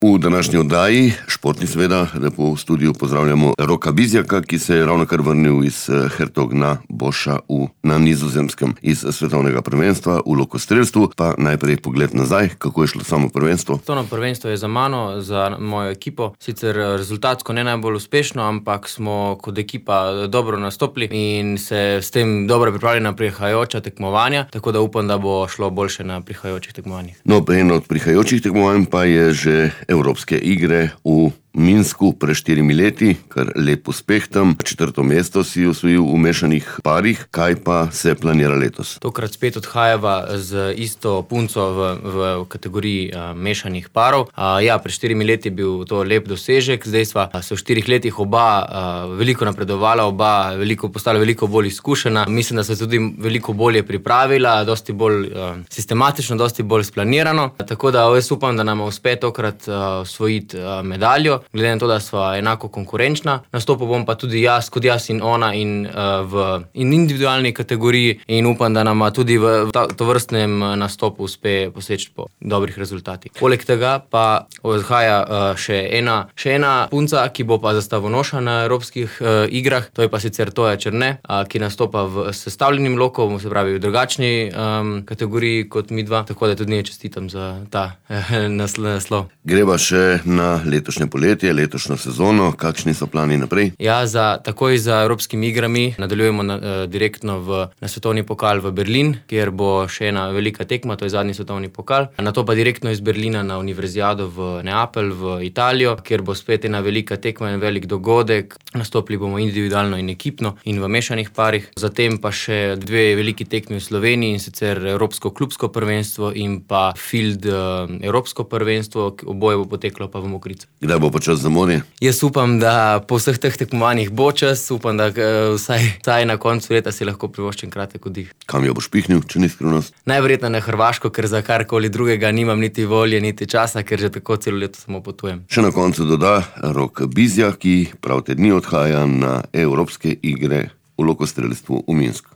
V današnji oddaji, športni seveda, lepo v studiu pozdravljamo Roka Bizjaka, ki se je ravnokar vrnil iz Hertogna Boša na Nizozemskem iz svetovnega prvenstva v lokostrelstvu. Pa najprej pogled nazaj, kako je šlo samo prvenstvo. Svetovno prvenstvo je za mano, za mojo ekipo. Sicer rezultatsko ne najbolj uspešno, ampak smo kot ekipa dobro nastopili in se s tem dobro pripravili na prihajajoča tekmovanja, tako da upam, da bo šlo boljše na prihajajočih tekmovanjih. No, eno od prihajajočih tekmovanj pa je že Evropske igre v Minsku pred 4 leti, kar lep uspeh tam. 4. mesto si osvojil v mešanih parih. Kaj pa se planira letos? Tokrat spet odhajava z isto punco v kategoriji mešanih parov. Pred 4 leti je bil to lep dosežek, zdaj sva se v 4 letih oba veliko napredovala, oba postala veliko bolj izkušena. Mislim, da se tudi veliko bolje pripravila, dosti bolj sistematično, dosti bolj splanirano. Tako da jaz upam, da nam uspe tokrat osvojiti medaljo. Glede na to, da sva enako konkurenčna. Nastopil bom pa tudi kot jaz in ona in v individualni kategoriji in upam, da nama tudi v tovrstnem nastopu uspe poseči po dobrih rezultatih. Poleg tega pa odhaja še ena punca, ki bo pa zastavonoša na Evropskih igrah. To je pa sicer Toja Černe, ki nastopa v sestavljenim lokom, se pravi v drugačni kategoriji kot midva, tako da tudi njej čestitam za ta naslov. Greva še na letošnje poletje, letošnjo sezono. Kakšni so plani naprej? Takoj za Evropskimi igrami nadaljujemo direktno na svetovni pokal v Berlin, kjer bo še ena velika tekma, to je zadnji svetovni pokal. Nato pa direktno iz Berlina na univerzijado v Neapelj, v Italijo, kjer bo spet ena velika tekma in velik dogodek. Nastopili bomo individualno in ekipno in v mešanih parih. Zatem pa še 2 veliki tekmi v Sloveniji, in sicer Evropsko klubsko prvenstvo in pa Field Evropsko prvenstvo, oboje bo poteklo pa v Mokrice. Kdaj bo pa čas za morje? Jaz upam, da po vseh teh tekmovanjih bo čas, upam, da vsaj na koncu leta si lahko privoščim kratek oddih. Kam jo boš pihnil, če ni skrivnost? Najverjetneje na Hrvaško, ker za karkoli drugega nimam niti volje, niti časa, ker že tako celo leto samo potujem. Še na koncu doda Rok Bizjak, ki prav te dni odhaja na Evropske igre v lokostrelstvu v Minsku.